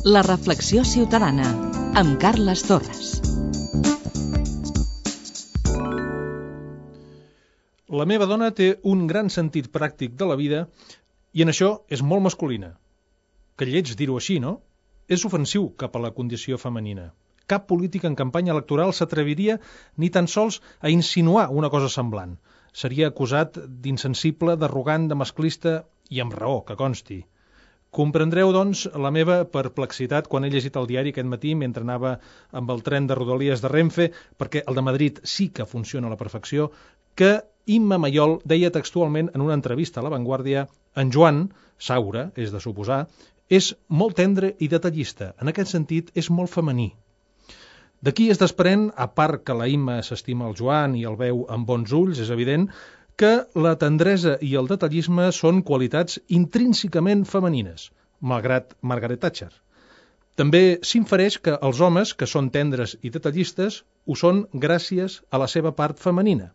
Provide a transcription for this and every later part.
La reflexió ciutadana, amb Carles Torres. La meva dona té un gran sentit pràctic de la vida i en això és molt masculina. Que lleig dir-ho així, no? És ofensiu cap a la condició femenina. Cap polític en campanya electoral s'atreviria ni tan sols a insinuar una cosa semblant. Seria acusat d'insensible, d'arrogant, de masclista i amb raó, que consti. Comprendreu, doncs, la meva perplexitat quan he llegit el diari aquest matí mentre anava amb el tren de Rodalies de Renfe, perquè el de Madrid sí que funciona a la perfecció, que Imma Mayol deia textualment en una entrevista a La Vanguardia: en Joan, Saura, és de suposar, és molt tendre i detallista. En aquest sentit, és molt femení. D'aquí es desprèn, a part que la Imma s'estima el Joan i el veu amb bons ulls, és evident, que la tendresa i el detallisme són qualitats intrínsecament femenines, malgrat Margaret Thatcher. També s'infereix que els homes, que són tendres i detallistes, ho són gràcies a la seva part femenina.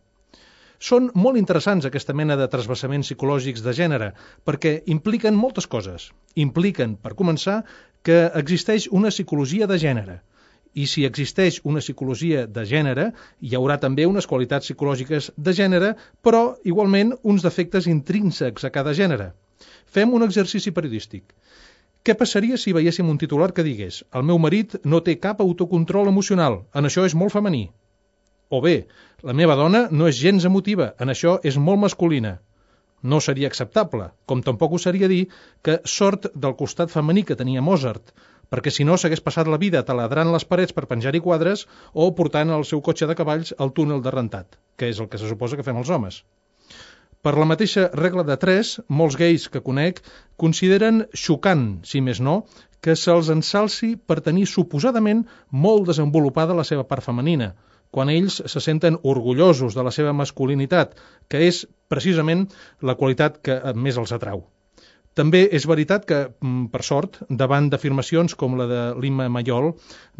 Són molt interessants aquesta mena de trasvassaments psicològics de gènere, perquè impliquen moltes coses. Impliquen, per començar, que existeix una psicologia de gènere. I si existeix una psicologia de gènere, hi haurà també unes qualitats psicològiques de gènere, però igualment uns defectes intrínsecs a cada gènere. Fem un exercici periodístic. Què passaria si veiéssim un titular que digués: el meu marit no té cap autocontrol emocional, en això és molt femení? O bé, la meva dona no és gens emotiva, en això és molt masculina. No seria acceptable, com tampoc ho seria dir que sort del costat femení que tenia Mozart, perquè si no s'hagués passat la vida taladrant les parets per penjar-hi quadres o portant el seu cotxe de cavalls al túnel de rentat, que és el que se suposa que fem els homes. Per la mateixa regla de 3, molts gais que conec consideren xocant, si més no, que se'ls ensalci per tenir suposadament molt desenvolupada la seva part femenina, quan ells se senten orgullosos de la seva masculinitat, que és precisament la qualitat que més els atrau. També és veritat que, per sort, davant d'afirmacions com la de l'Imma Mayol,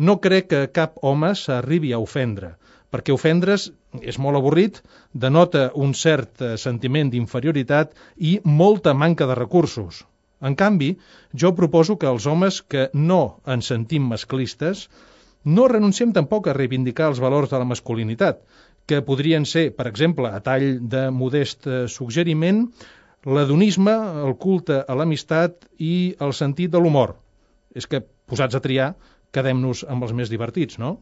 no crec que cap home s'arribi a ofendre, perquè ofendre's és molt avorrit, denota un cert sentiment d'inferioritat i molta manca de recursos. En canvi, jo proposo que els homes que no ens sentim masclistes no renunciem tampoc a reivindicar els valors de la masculinitat, que podrien ser, per exemple, a tall de modest suggeriment, l'hedonisme, el culte a l'amistat i el sentit de l'humor. És que, posats a triar, quedem-nos amb els més divertits, no?